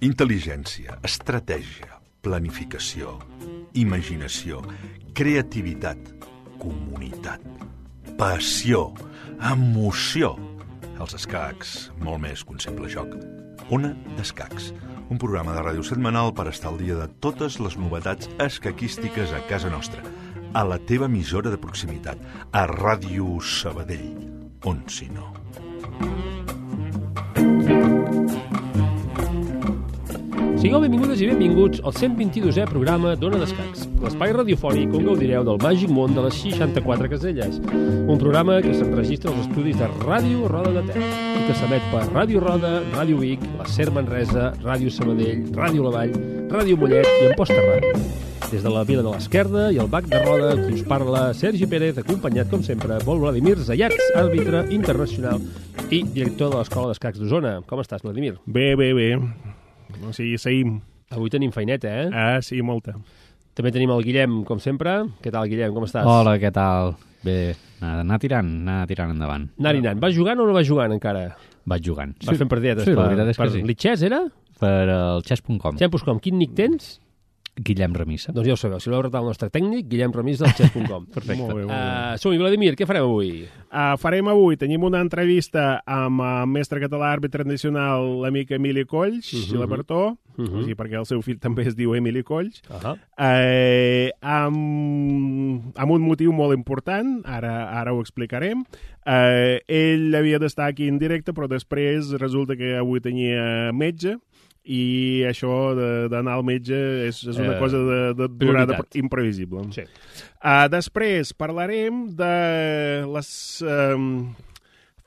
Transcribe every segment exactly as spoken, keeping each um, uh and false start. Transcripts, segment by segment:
Intel·ligència, estratègia, planificació, imaginació, creativitat, comunitat, passió, emoció. Els escacs, molt més que un simple joc. Ona d'Escacs, un programa de ràdio setmanal per estar al dia de totes les novetats escaquístiques a casa nostra, a la teva emissora de proximitat, a Ràdio Sabadell, on si no. Sigueu benvingudes i benvinguts al cent vint-i-dosè programa d'Ona d'Escacs, l'espai radiofònic on gaudireu del màgic món de les seixanta-quatre caselles, un programa que s'enregistra als estudis de Ràdio Roda de Ter i que s'emet per Ràdio Roda, Ràdio Vic, la Ser Manresa, Ràdio Sabadell, Ràdio La Vall, Ràdio Mollet i Amposta Ràdio. Des de la Vila de l'Esquerda i el Bac de Roda, qui us parla, Sergi Pérez, acompanyat, com sempre, Pol Vladimir Zayats, àrbitre internacional i director de l'Escola d'Escacs d'Osona. Com estàs, Vladimir? Bé, bé, bé. O sigui, seguim. Avui tenim feineta, eh? Ah, sí, molta. També tenim el Guillem, com sempre. Què tal, Guillem? Com estàs? Hola, què tal? Bé, anar, anar tirant, anar tirant endavant. Anar-hi anant. Vas jugant o no vas jugant encara? Vaig jugant. Vas fent partidetes sí, per, la veritat és per que sí. l'Itxès, era? Per el chess punt com. chess punt com. Quin nick tens? Guillem Remissa. Doncs ja ho sabeu, si voleu retar el nostre tècnic, Guillem Remissa del chess punt com. Perfecte. Molt bé, molt bé. Uh, Som-hi, Vladimir, què farem avui? Uh, farem avui, tenim una entrevista amb el mestre català àrbitre tradicional, l'amic Emili Colls, uh -huh. i la Bertó, uh -huh. o sigui, perquè el seu fill també es diu Emili Colls, uh -huh. uh, amb, amb un motiu molt important, ara, ara ho explicarem. Uh, ell havia d'estar aquí en directe, però després resulta que avui tenia metge, i això d'anar al metge és, és una eh, cosa de, de durada imprevisible. Sí. Uh, després parlarem de les um,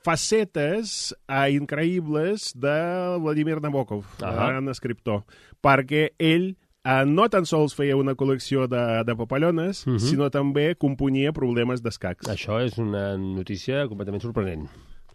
facetes uh, increïbles de Vladimir Nabokov, uh -huh. el gran escriptor, perquè ell uh, no tan sols feia una col·lecció de, de papallones, uh -huh. sinó també componia problemes d'escacs. Això és una notícia completament sorprenent.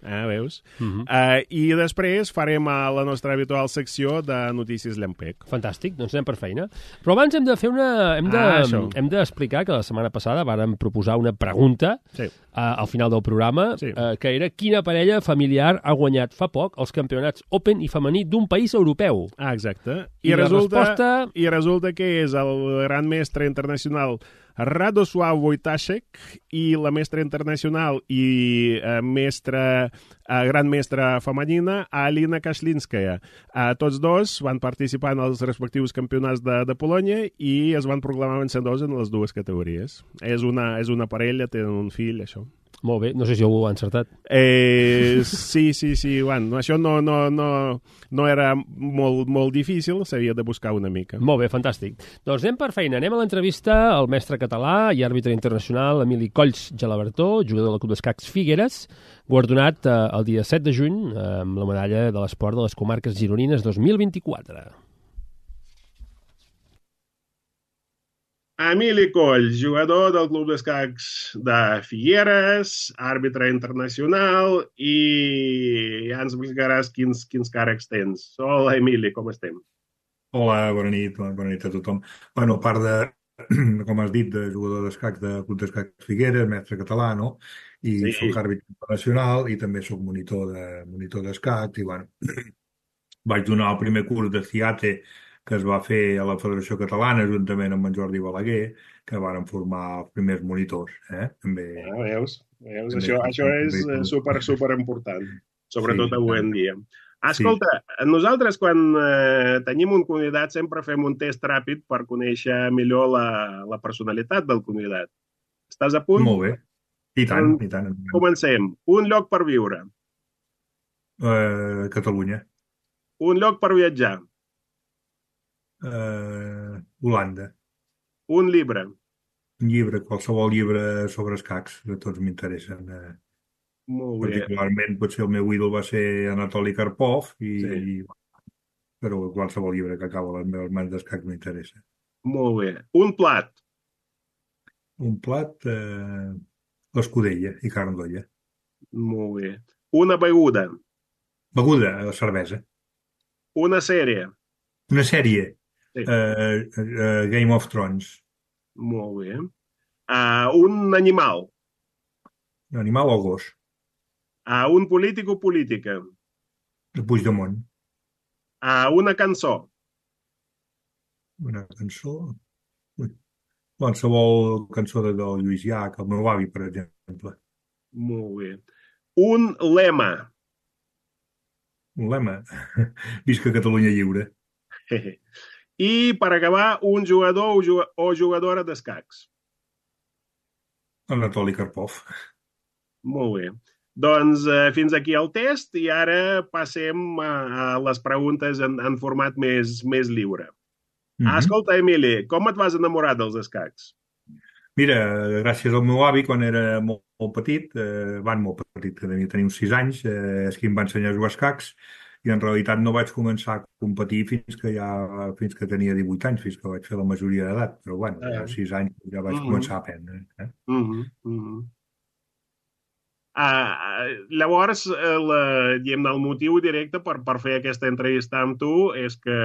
Ah, veus? Uh -huh. uh, I després farem a la nostra habitual secció de notícies Llampec. Fantàstic, doncs anem per feina. Però abans hem de fer una... Hem de, ah, hem d'explicar que la setmana passada vàrem proposar una pregunta sí. uh, al final del programa, sí. uh, que era quina parella familiar ha guanyat fa poc els campionats Open i femení d'un país europeu. Ah, exacte. I, I resulta, resposta... I resulta que és el gran mestre internacional Radoslav Wojtaszek i la mestra internacional i eh, mestra, eh, gran mestra femenina Alina Kashlinskaya. Eh, tots dos van participar en els respectius campionats de, de Polònia i es van proclamar vencedors en les dues categories. És una, és una parella, tenen un fill, això. Molt bé, no sé si ho ha encertat. Eh, sí, sí, sí, bueno, això no, no, no, no era molt, molt difícil, s'havia de buscar una mica. Molt bé, fantàstic. Doncs anem per feina, anem a l'entrevista al mestre català i àrbitre internacional Emili Colls Gelabertó, jugador del Club d'Escacs Figueres, guardonat eh, el dia set de juny eh, amb la medalla de l'esport de les comarques gironines dos mil vint-i-quatre. Emili Colls, jugador del Club d'Escacs de Figueres, àrbitre internacional, i ja ens explicaràs quins, quins càrrecs tens. Hola, Emili, com estem? Hola, bona nit, bona nit a tothom. Bueno, a part de, com has dit, de jugador d'escacs del Club d'Escacs Figueres, mestre català, no? I sí. Soc àrbitre internacional i també soc monitor de monitor d'escacs i, bueno, vaig donar el primer curs de CIATE que es va fer a la Federació Catalana juntament amb en Jordi Balaguer, que varen formar els primers monitors. Eh? També, ah, veus? veus? També, això això és super, super important, sobretot sí, avui en dia. Escolta, sí. Nosaltres quan eh, tenim un convidat sempre fem un test ràpid per conèixer millor la, la personalitat del convidat. Estàs a punt? Molt bé. I tant, i tant. Comencem. Un lloc per viure. Uh, Catalunya. Un lloc per viatjar. Uh, Holanda. Un llibre. Un llibre, qualsevol llibre sobre escacs, que tots m'interessen. Uh, Molt bé. Particularment, potser el meu ídol va ser Anatoli Karpov, i, sí. i, però qualsevol llibre que acaba les meves mans d'escacs m'interessa. Molt bé. Un plat. Un plat, uh, l'escudella i carn d'olla. Molt bé. Una beguda. Beguda, la cervesa. Una sèrie. Una sèrie. Sí. Uh, uh, Game of Thrones. Molt bé. Uh, un animal. Un animal o gos. Uh, un polític o política. Puigdemont. Uh, una cançó. Una cançó... Ui. Qualsevol cançó de del Lluís Llach, el meu avi, per exemple. Molt bé. Un lema. Un lema. Visca Catalunya lliure. I, per acabar, un jugador o jugadora d'escacs. Anatoli Karpov. Molt bé. Doncs eh, fins aquí el test i ara passem a, a les preguntes en, en format més, més lliure. Mm -hmm. Escolta, Emili, com et vas enamorar dels escacs? Mira, gràcies al meu avi, quan era molt, molt petit, eh, van molt petit, que devia tenir uns sis anys, eh, és qui em va ensenyar a jugar a escacs, i en realitat no vaig començar a competir fins que ja fins que tenia divuit anys, fins que vaig fer la majoria d'edat, però bueno, ja a sis anys ja vaig mm -hmm. començar a aprendre. Eh? Mm -hmm. Mm -hmm. Uh, llavors, la, diguem, el motiu directe per, per fer aquesta entrevista amb tu és que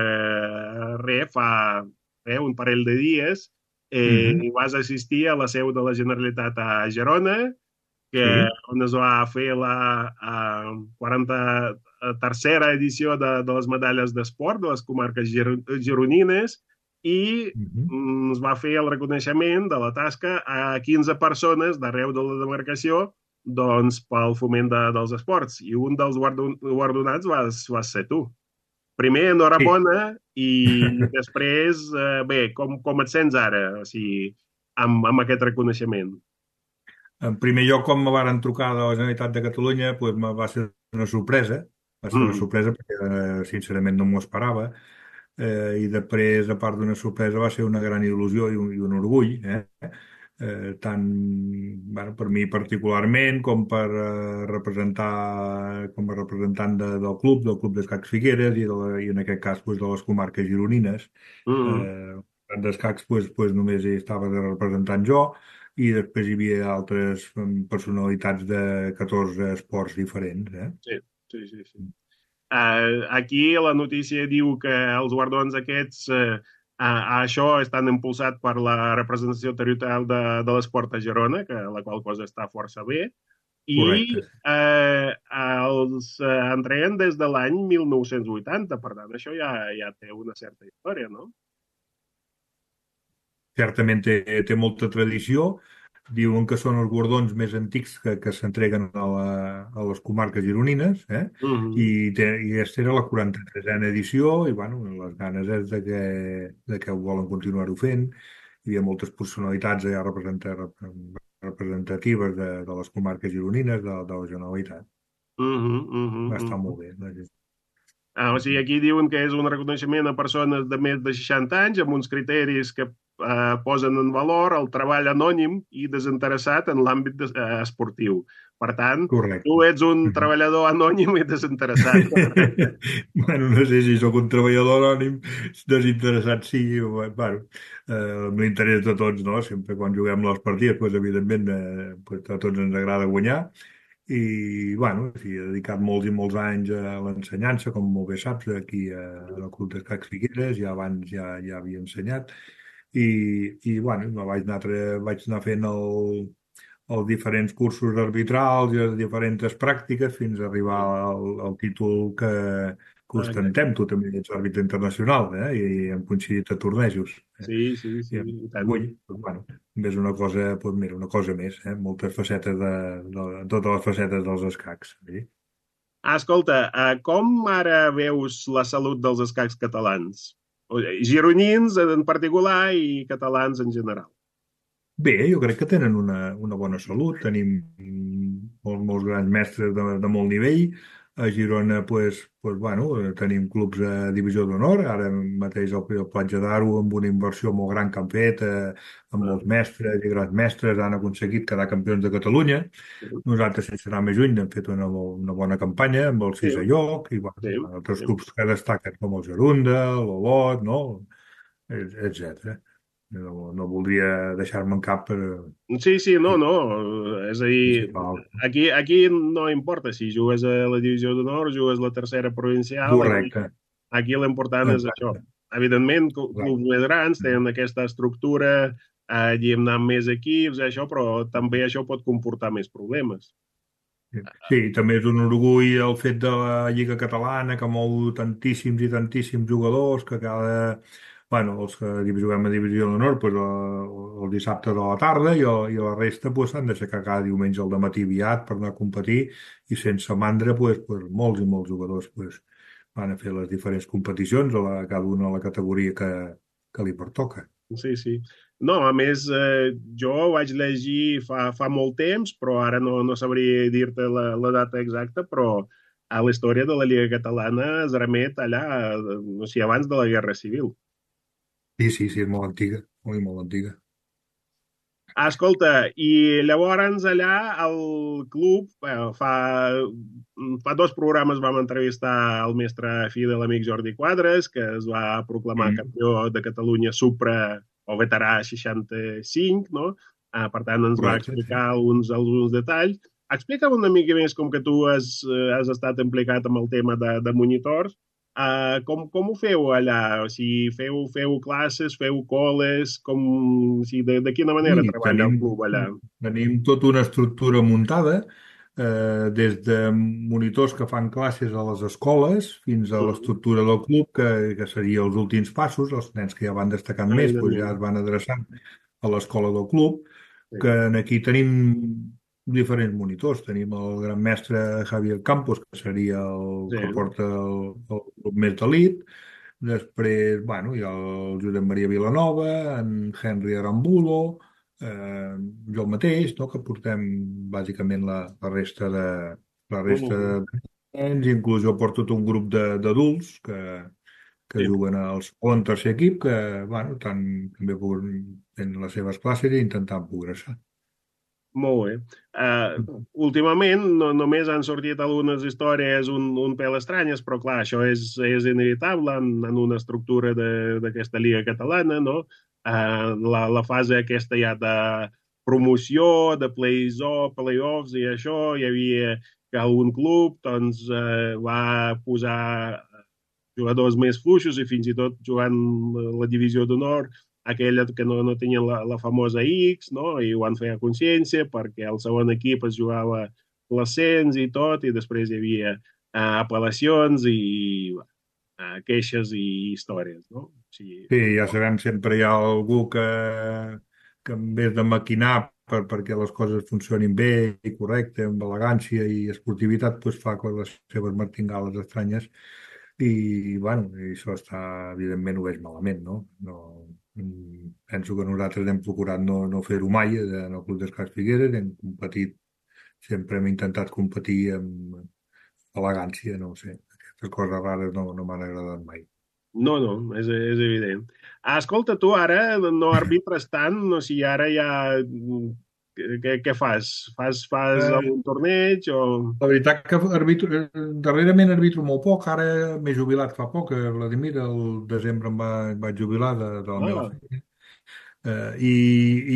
re, fa eh, un parell de dies eh, mm -hmm. vas assistir a la seu de la Generalitat a Girona, que, sí. on es va fer la uh, quaranta-tercera edició de, de les medalles d'esport de les comarques gir gironines i mm -hmm. es va fer el reconeixement de la tasca a quinze persones d'arreu de la demarcació, doncs, pel foment de, dels esports. I un dels guardonats vas, vas ser tu. Primer, enhorabona, sí. I després, eh, bé, com, com et sents ara, o sigui, amb, amb aquest reconeixement? En primer lloc, quan me varen trucar de la Generalitat de Catalunya, doncs va ser una sorpresa, va ser mm. una sorpresa perquè, sincerament, no m'ho esperava, eh, i després, a part d'una sorpresa, va ser una gran il·lusió i un, i un orgull, eh? Eh, tant bueno, per mi particularment com per eh, representar com a representant de, del club del Club d'Escacs Figueres i, de la, i en aquest cas pues, de les comarques gironines. Mm. eh, d'escacs pues, pues, només hi estava de representant jo i després hi havia altres personalitats de catorze esports diferents. Eh? Sí, sí, sí, sí. Uh, aquí la notícia diu que els guardons aquests uh, Uh, això estan impulsats per la representació territorial de, de l'esport a Girona, que la qual cosa està força bé, i uh, els uh, entreguen des de l'any mil nou-cents vuitanta, per tant, això ja, ja té una certa història, no? Certament té, té molta tradició. Diuen que són els guardons més antics que, que s'entreguen a, la, a les comarques gironines, eh? Uh -huh. I, té, i aquesta era la quaranta-tresena edició i, bueno, les ganes és de que, de que volen continuar-ho fent. Hi havia moltes personalitats allà representatives de, de les comarques gironines, de, de la Generalitat. Uh -huh, uh -huh, Va estar uh -huh. molt bé. No? Ah, o sigui, aquí diuen que és un reconeixement a persones de més de seixanta anys amb uns criteris que eh, posen en valor el treball anònim i desinteressat en l'àmbit eh, esportiu. Per tant, correcte. Tu ets un treballador anònim i desinteressat. Bueno, no sé si sóc un treballador anònim, desinteressat sí, bueno, eh, l'interès de tots, no? Sempre quan juguem les partides, doncs, evidentment, eh, doncs, a tots ens agrada guanyar. I, bueno, sí, he dedicat molts i molts anys a l'ensenyança, com molt bé saps, aquí al Club d'Escacs Figueres, ja abans ja, ja havia ensenyat, i, i bueno, vaig anar, vaig anar fent el, els diferents cursos arbitrals i les diferents pràctiques fins a arribar al, al títol que, que ostentem. Tu també ets àrbitre internacional, eh? I hem coincidit a tornejos. Eh? Sí, sí, sí. I, avui, doncs, bueno, és una cosa, doncs mira, una cosa més, eh? Moltes facetes de, de, de totes les facetes dels escacs. Sí? Ah, escolta, com ara veus la salut dels escacs catalans? Gironins en particular i catalans en general. Bé, jo crec que tenen una, una bona salut. Tenim molts, molts grans mestres de, de molt nivell. A Girona, pues, pues, bueno, tenim clubs de divisió d'honor. Ara mateix el, el Platja d'Aro, amb una inversió molt gran que han fet, eh, amb molts mestres i grans mestres, han aconseguit quedar campions de Catalunya. Nosaltres, sense anar més lluny, hem fet una, una bona campanya amb el sisè sí. lloc, i bueno, sí. altres sí. clubs que destaquen, com el Gerunda, l'Olot, no? etcètera. No, no voldria deixar-me en cap per... Sí, sí, no, no. És a dir, aquí, aquí no importa si jugues a la divisió d'honor, jugues a la tercera provincial. Correcte. Aquí, aquí l'important és això. Evidentment, clubs més grans tenen aquesta estructura, eh, i hem anat més equips, això, però també això pot comportar més problemes. Sí, sí, també és un orgull el fet de la Lliga Catalana que mou tantíssims i tantíssims jugadors que cada... Bueno, els que juguem a Divisió d'Honor pues, el, el dissabte de la tarda i, el, i la resta pues, s'han d'aixecar cada diumenge al matí aviat per anar a competir i sense mandra pues, pues, molts i molts jugadors pues, van a fer les diferents competicions a la, cada una a la categoria que, que li pertoca. Sí, sí. No, a més, eh, jo vaig llegir fa, fa molt temps, però ara no, no sabria dir-te la, la data exacta, però a la història de la Lliga Catalana es remet allà, eh, no sé, abans de la Guerra Civil. Sí, sí, sí, és molt antiga, molt, molt antiga. Ah, escolta, i llavors allà al club, bueno, fa, fa dos programes vam entrevistar el mestre fi de l'amic Jordi Quadres, que es va proclamar Mm. campió de Catalunya Supra o veterà seixanta-cinc, no? Ah, per tant, ens va Correcte, sí. explicar alguns, alguns detalls. Explica'm una mica més, com que tu has, eh, has estat implicat amb el tema de, de monitors, Uh, com, com ho feu allà? O sigui, feu, feu classes, feu coles, com, o sigui, de, de quina manera Sí, treballa el tenim, club allà? tenim tota una estructura muntada, eh, des de monitors que fan classes a les escoles fins a Mm. l'estructura del club, que, que seria els últims passos. Els nens que ja van destacant Ah, més doncs ja evidentment. es van adreçant a l'escola del club, Sí. que aquí tenim diferents monitors. Tenim el gran mestre Javier Campos, que seria el Sí. que porta el, el club més d'elit. Després, bueno, hi ha el Josep Maria Vilanova, en Henry Arambulo, eh, jo mateix, no?, que portem bàsicament la, la resta de la resta Mm. de nens, inclús jo porto tot un grup de- d'adults que, que Sí. juguen al segon, tercer equip, que, bueno, tant, també tenen les seves classes i intentant progressar. Molt bé. Uh, últimament no, només han sortit algunes històries un, un pèl estranyes, però clar, això és, és inevitable en, en una estructura de- d'aquesta Lliga Catalana, no? Uh, la, la fase aquesta ja de promoció, de plays-off, play-offs i això, hi havia que algun club doncs, uh, va posar jugadors més fluixos i fins i tot jugant la divisió d'honor aquella que no, no tenien la, la famosa X, no? I ho van fer a consciència perquè el segon equip es jugava l'ascens i tot, i després hi havia uh, apel·lacions i uh, queixes i històries, no? O sigui, Sí, ja sabem, sempre hi ha algú que, que en vez de maquinar per, perquè les coses funcionin bé i correcte, amb elegància i esportivitat, doncs fa les seves martingales estranyes i, bueno, i això està, evidentment, ho veig malament, no? No mm, penso que nosaltres hem procurat no, no fer-ho mai en el Club d'Escacs Figueres, hem competit, sempre hem intentat competir amb elegància, no ho sé, aquestes coses rares no, no m'han agradat mai. no, no, és, és evident. Ah, escolta, tu ara no arbitres tant, no sé, ara ja... Què, què fas? Fas, fas Eh, algun torneig o... La veritat que arbitro, eh, darrerament arbitro molt poc, ara m'he jubilat fa poc, eh, Vladimir, el desembre em va, em vaig jubilar de, de la meva Ah, feina. Eh, i,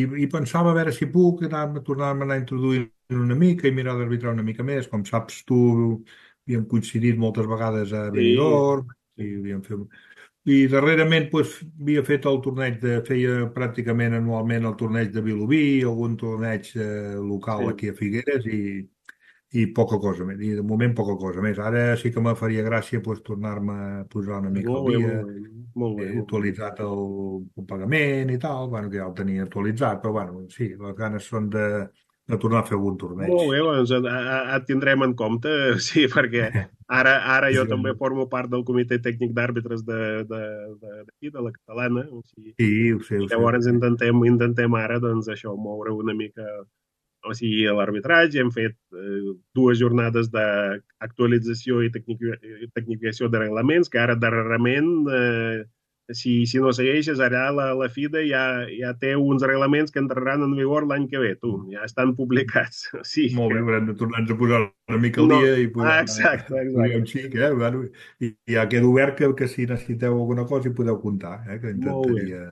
i, I pensava a veure si puc anar, tornar-me a anar introduint una mica i mirar d'arbitrar una mica més. Com saps tu, havíem coincidit moltes vegades a sí, Benidorm i sí, havíem fet... I darrerament doncs, havia fet el torneig de... feia pràcticament anualment el torneig de Vilobí, algun torneig eh, local sí. aquí a Figueres i, i poca cosa més. I de moment poca cosa més. Ara sí que me faria gràcia doncs, tornar-me a posar una mica al Molt bé, dia, molt bé, molt bé, he molt bé. actualitzat el, el pagament i tal, bueno, que ja el tenia actualitzat, però bueno, sí, les ganes són de, de tornar a fer algun torneig. Molt bé, doncs et, et tindrem en compte, sí, perquè ara, ara jo Sí, també formo part del comitè tècnic d'àrbitres de, de, de, d'aquí, de la catalana, o sigui, sí, ho sé, i ho sé. llavors intentem, intentem ara, doncs, això, moure una mica, o sigui, l'arbitratge. Hem fet eh, dues jornades d'actualització i tecnici- tecnificació de reglaments, que ara darrerament, eh, si, si no segueixes, ara la, la FIDE ja, ja té uns reglaments que entraran en vigor l'any que ve, tu, ja estan publicats. O sigui Molt bé, que haurem de tornar-nos a posar una mica al no, dia i ah, posar, exacte, posar exacte. un xic, eh? Bueno, i, i ja queda obert que, que si necessiteu alguna cosa hi podeu comptar, eh? Que Molt bé. intentaria...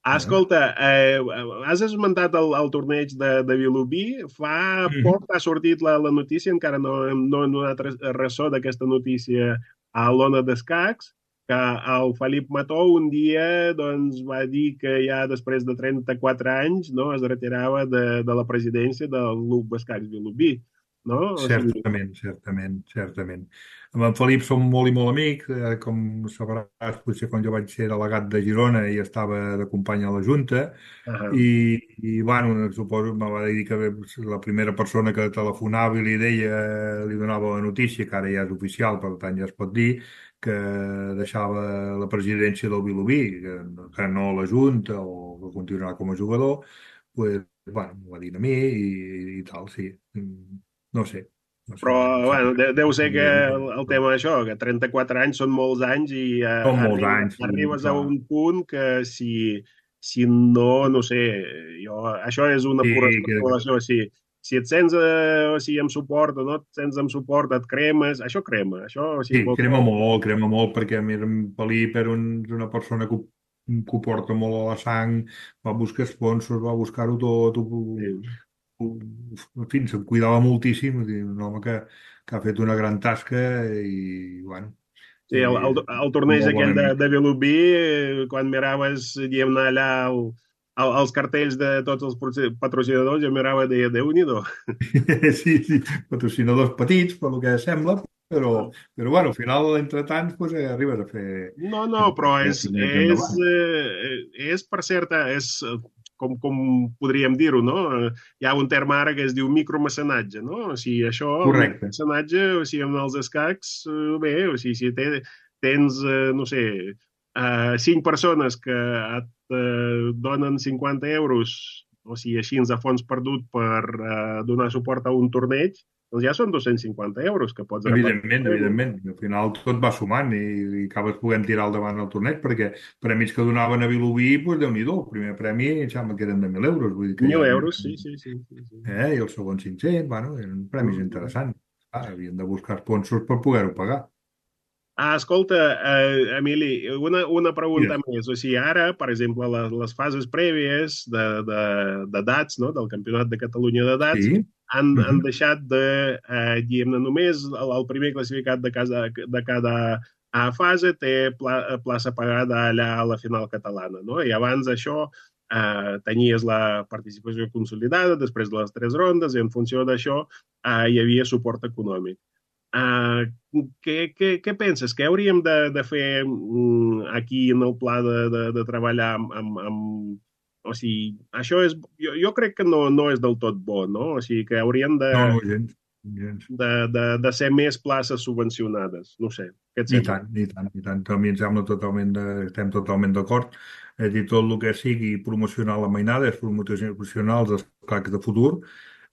Ah, Eh? escolta, eh, has esmentat el, el torneig de, de Vilobí. Fa Mhm. poc ha sortit la, la notícia, encara no, hem- no hem donat res- ressò d'aquesta notícia a l'Ona d'Escacs, que el Felip Mató un dia doncs, va dir que ja després de trenta-quatre anys no, es retirava de, de la presidència del Club d'Escacs Vilobí. no? O sigui, Certament, certament, certament. Amb en Felip som molt i molt amics, eh, com sabràs, potser quan jo vaig ser delegat de Girona i estava de company a la Junta, uh, i, i bueno, suposo, me va dir que la primera persona que telefonava i li deia, li donava la notícia, que ara ja és oficial, per tant ja es pot dir, que deixava la presidència del Vilobí, que, que no la Junta o que continuarà com a jugador, pues, bueno, m'ho va dir a mi i, i tal, sí. No sé, no sé, però, em bueno, sembla de, deu ser que que el, el tema d'això, que trenta-quatre anys són molts anys i uh, són molts arriba, anys, sí, arribes a clar. un punt que si, si no, no sé, jo, això és una Sí, pura que, especulació, si, si et sents eh, o sigui, amb suport o no et sents amb suport, et cremes, això crema, això, o sigui, sí, vol dir, crema molt, crema molt, perquè a més en Felip era un, una persona que ho, que ho porta molt a la sang, va buscar sponsors, va buscar-ho tot, ho, sí. ho, en fi, se'n cuidava moltíssim, vull dir, un home que, que ha fet una gran tasca i, bueno, Sí, el, el, eh, el torneig molt bon aquell de, amic. de Vilobí, eh, quan miraves, diguem-ne, allà el, el, els cartells de tots els patroci- patrocinadors, jo mirava de Déu-n'hi-do. Sí, sí, patrocinadors petits, per lo que sembla, però, però bueno, al final, entretant, pues, eh, arribes a fer, No, no, a però fer és, més és, endavant. eh, és per certa, és eh, com, com podríem dir-ho, no? Eh, Hi ha un terme ara que es diu micromecenatge, no? O sigui, això, el Correcte. micromecenatge, o sigui, amb els escacs, eh, bé, o sigui, si te, tens, eh, no sé, eh, cinc persones que et eh, donen cinquanta euros, o sigui, així a fons perdut per eh, donar suport a un torneig, doncs ja són dos-cents cinquanta euros que pots Evidentment, repartir. evidentment. Al final tot va sumant i, i acabes podent tirar al davant el torneig perquè premis que donaven a Vilobí, doncs Déu-n'hi-do, el primer premi em sembla que eren de mil euros, vull dir que Mil ja eren, euros, sí, sí, sí, sí, sí. eh, i el segon cinc-cents, bueno, eren premis Mm. interessants. Ah, havien de buscar sponsors per poder-ho pagar. Ah, escolta, eh, Emili, una, una pregunta Digues. més. O sigui, ara, per exemple, les, les fases prèvies de, de, de dats, no?, del Campionat de Catalunya de dats, Sí. han, Uh han -huh. deixat de, eh, diguem-ne, només el, el primer classificat de cada, de cada eh, fase té pla, plaça pagada allà a la final catalana, no? I abans això eh, tenies la participació consolidada després de les tres rondes i en funció d'això eh, hi havia suport econòmic. Uh, què, què, què penses? Què hauríem de, de fer um, aquí en el pla de, de, de treballar amb, amb, amb... O sigui, això és... Jo, jo crec que no, no és del tot bo, no? O sigui, que hauríem de, No, no, gens. gens. de, de, de ser més places subvencionades. No sé, què et I sembla? tant, i tant, i tant. A mi em sembla totalment de, estem totalment d'acord. És a dir, tot el que sigui promocionar la mainada és promocionar els escacs de futur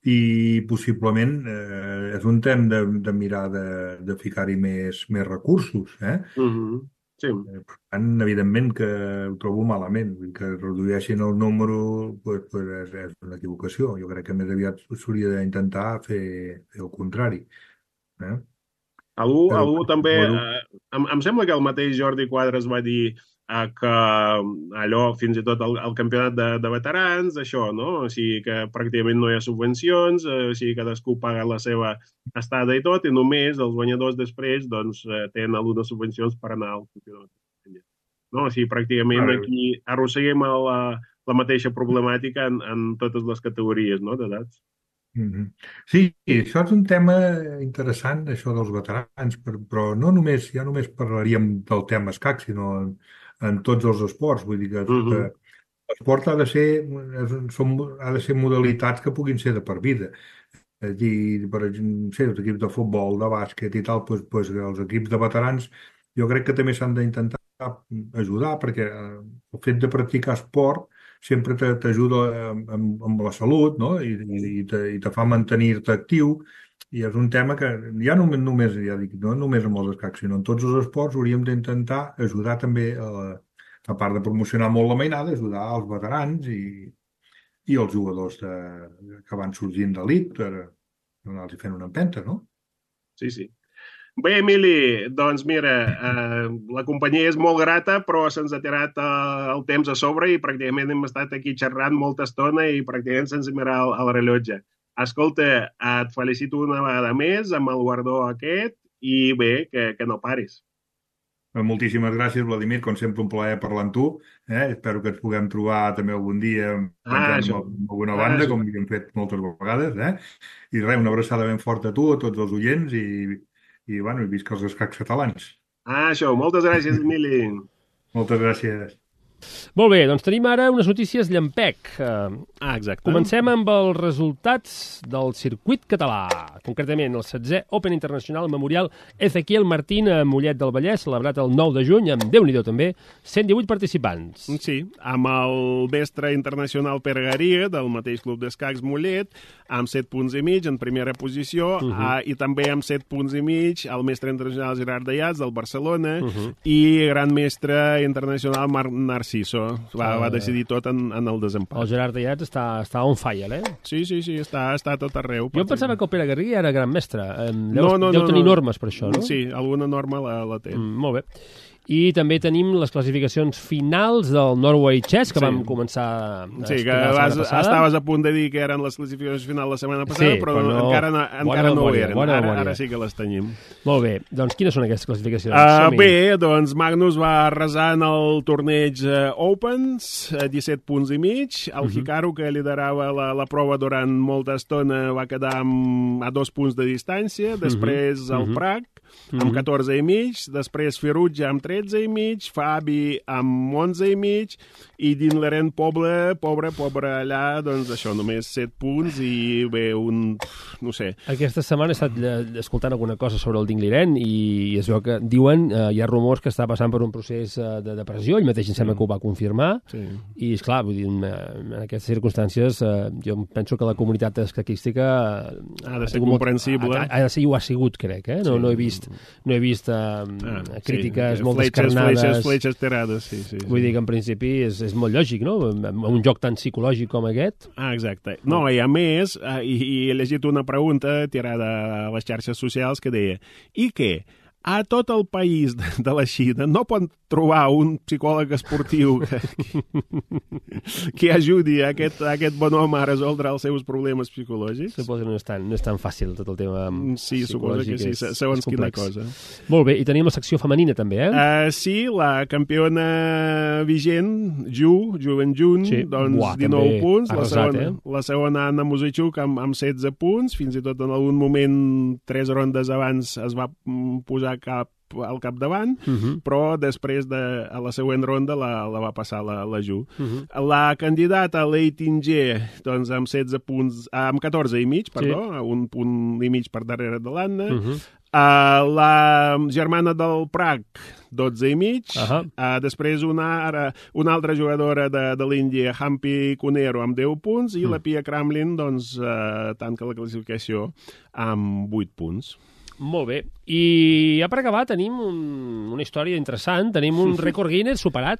i possiblement eh, és un temps de, de mirar de, de ficar-hi més, més recursos. Eh? Uh -huh. Sí. Eh, Per tant, evidentment que ho trobo malament. Vull dir que redueixin el número pues, pues és, és una equivocació. Jo crec que més aviat s'hauria d'intentar fer, fer el contrari. Eh? Algú, Però, algú també... suposo, Eh, em, em sembla que el mateix Jordi Quadras va dir eh, que allò, fins i tot el, el campionat de, de veterans, això, no? O sigui que pràcticament no hi ha subvencions, eh, o sigui cadascú paga la seva estada i tot, i només els guanyadors després doncs, eh, tenen algunes subvencions per anar al campionat. No? O sigui, pràcticament ara, aquí arrosseguem la, la mateixa problemàtica en, en totes les categories, no?, d'edats. mhm. Sí, això és un tema interessant, això dels veterans, per- però no només, ja només parlaríem del tema escac, sinó en, en tots els esports. Vull dir que, Uh que -huh. l'esport ha de ser, és, un- són, ha de ser modalitats que puguin ser de per vida. És a dir, per exemple, no sé, els equips de futbol, de bàsquet i tal, doncs, doncs els equips de veterans jo crec que també s'han d'intentar ajudar perquè eh, el fet de practicar esport sempre te- t'ajuda amb, amb, amb la salut, no? I, i, i, te, i te fa mantenir-te actiu i és un tema que ja no només, ja dic, no només amb els escacs, sinó en tots els esports hauríem d'intentar ajudar també a, a part de promocionar molt la mainada, ajudar els veterans i, i els jugadors de, que van sorgint d'elit per anar-los fent una empenta, no? Sí, sí. Bé, Emili, doncs mira, eh, la companyia és molt grata, però se'ns ha tirat eh, el temps a sobre i pràcticament hem estat aquí xerrant molta estona i pràcticament sense mirar el, el rellotge. Escolta, et felicito una vegada més amb el guardó aquest i bé, que, que no paris. moltíssimes gràcies, Vladimir, com sempre un plaer parlar amb tu. Eh? Espero que ens puguem trobar també algun dia menjant Ah, amb alguna banda, ah, com hem fet moltes vegades. Eh? I res, una abraçada ben forta a tu, a tots els oients, i, i, bueno, i visca els escacs catalans. Ah, això, moltes gràcies, Emili. Moltes gràcies. Molt bé, doncs tenim ara unes notícies llampec. Uh, Ah, exacte. comencem amb els resultats del circuit català. Concretament, el setzè Open Internacional Memorial Ezequiel Martín a Mollet del Vallès, celebrat el nou de juny, amb Déu-n'hi-do també, cent divuit participants. Sí, amb el mestre internacional Pere Garia, del mateix club d'escacs Mollet, amb set punts i mig en primera posició, uh -huh. uh, i també amb set punts i mig el mestre internacional Gerard Dayats, del Barcelona, uh -huh. i gran mestre internacional Marc Narciso. Va, uh... va decidir tot en, en el desempat. El Gerard Dayats està, està on fire, eh? Sí, sí, sí, està, està a tot arreu. Jo pensava que el Pere Garriga era gran mestre. Deu, No, no, deu no, tenir no. normes per això, no? Sí, alguna norma la, la té. Mm, molt bé. I també tenim les classificacions finals del Norway Chess, que Sí. vam començar a Sí, que explicar la vas, setmana passada. estaves a punt de dir que eren les classificacions finals la setmana passada, Sí, però, però no- encara, no, Bona encara no ho memòria, eren. bona Ara, memòria. ara sí que les tenim. Molt bé. Doncs quines són aquestes classificacions? Uh, Som-hi. bé, doncs Magnus va arrasar en el torneig uh, Opens, uh, disset punts i mig. El uh -huh. Hikaru, que liderava la, la prova durant molta estona, va quedar amb, a dos punts de distància. Després uh -huh. el Prak, amb uh -huh. catorze i mig. Després Ferrugia, amb tretze i mig. Fabi, amb onze i mig. I Dinleren, pobre, pobre, pobre allà, doncs això, només set punts i bé, un... no sé. Aquesta setmana he estat eh, escoltant alguna cosa sobre el Dingliren i es veu que diuen, eh, hi ha rumors que està passant per un procés eh, de depressió, ell mateix em sembla que ho va confirmar, Sí. i esclar, vull dir, en, en aquestes circumstàncies eh, jo penso que la comunitat escaquística eh, Ha de ser tingut molt- comprensible. Ha, ha de ser i ho ha sigut, crec, eh? No, Sí. no he vist, no he vist eh, Ah, crítiques sí, molt fletxes, descarnades. Fletxes, fletxes tirades, sí, sí. Vull sí. dir que en principi és, és molt lògic, no? En un joc tan psicològic com aquest. Ah, exacte. No, i a més, eh, i, i he llegit una pregunta tirada a les xarxes socials que deia: i què? A tot el país de, de la Xina no pot trobar un psicòleg esportiu que, que ajudi a aquest, a aquest bon home a resoldre els seus problemes psicològics? Suposo que no és tan, no és tan fàcil tot el tema Sí, suposo que sí, psicològic, és- segons és quina complex. cosa. Molt bé, i tenim la secció femenina també, eh? Uh, sí, la campiona vigent, Ju, Ju Benjun, Sí. doncs Buah, dinou també punts, la arrasat, segona, eh? la segona Anna Muzichuk amb, amb setze punts, fins i tot en algun moment, tres rondes abans, es va mm, posar cap al capdavant, Uh -huh. però després de a la següent ronda la, la va passar la, la Ju. Uh -huh. La candidata Lei Tingé, doncs amb setze punts, ah, amb catorze i mig, perdó, sí. un punt i mig per darrere de l'Anna. Uh -huh. Uh, la germana del Prak, dotze i mig. Uh -huh. uh, després una, ara, una altra jugadora de, de l'Índia, Hampi Cunero, amb deu punts, i Mm. la Pia Kramlin, doncs, uh, tanca la classificació amb vuit punts. Molt bé. I ja per acabar tenim un, una història interessant. Tenim un rècord Guinness superat.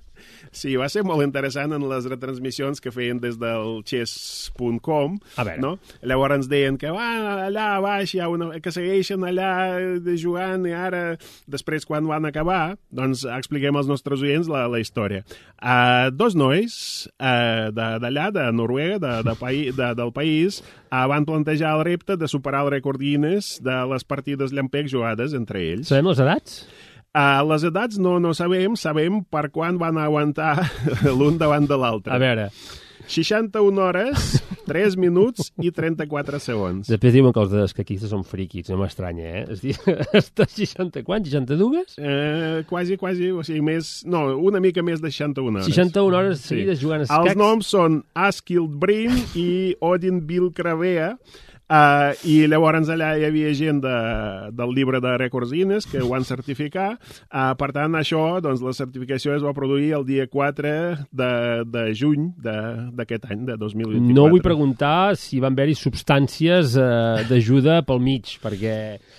Sí, va ser molt interessant en les retransmissions que feien des del chess punt com. A veure. No? Llavors ens deien que va allà baix, hi ha una, que segueixen allà de jugant, i ara, després, quan van acabar, doncs expliquem als nostres oients la, la història. Uh, dos nois uh, d'allà, de, de Noruega, de, de paí, de, del país, uh, van plantejar el repte de superar el rècord Guinness de les partides llampec jugades entre ells. Sabem les edats? Uh, les edats no, no sabem, sabem per quan van aguantar l'un davant de l'altre. A veure, seixanta-una hores, tres minuts i trenta-quatre segons. després diuen que els escaquistes són friquis, no m'estranya, eh? És dir, està seixanta, quan? seixanta-dues? Eh, quasi, quasi, o sigui, més... No, una mica més de seixanta-una hores. seixanta-una hores seguides jugant a escacs. Els noms són Askild Brim i Odin Bilkravea. Uh, I llavors allà hi havia gent de, del llibre de rècords Guinness que ho van certificar. Uh, per tant, això, doncs, la certificació es va produir el dia quatre de, de juny d'aquest any, de dos mil vint-i-quatre. No vull preguntar si van haver-hi substàncies eh, d'ajuda pel mig, perquè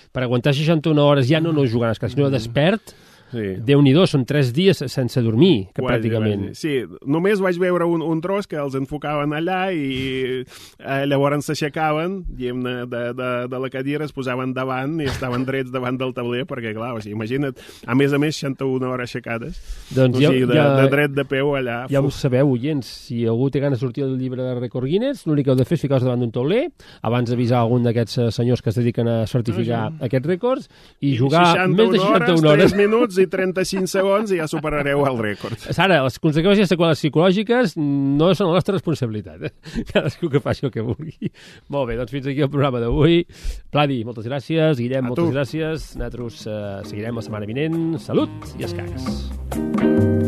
per aguantar seixanta-una hores ja no no jugant a escacs, sinó despert, Sí. Déu-n'hi-do, són tres dies sense dormir, que Quasi, pràcticament. quasi. Sí, només vaig veure un, un tros que els enfocaven allà i eh, llavors s'aixecaven, diguem-ne, de, de, de la cadira, es posaven davant i estaven drets davant del tauler, perquè, clar, o sigui, imagina't, a més a més, seixanta-una hores aixecades. Doncs o sigui, ja, de, ja, de dret de peu allà. ja ho Uf. sabeu, oients, si algú té ganes de sortir del llibre de rècord Guinness, l'únic que heu de fer és ficar-vos davant d'un tauler, abans d'avisar algun d'aquests eh, senyors que es dediquen a certificar Ah, aquests rècords, i jugar més de seixanta-una seixanta-una hores. tres minuts i trenta-cinc segons i ja superareu el rècord. Sara, les conseqüències seqüeles psicològiques no són la nostra responsabilitat. Eh? Cadascú que faci el que vulgui. Molt bé, doncs fins aquí el programa d'avui. Pladi, moltes gràcies. Guillem, moltes gràcies. Nosaltres eh, seguirem la setmana vinent. Salut i escacs.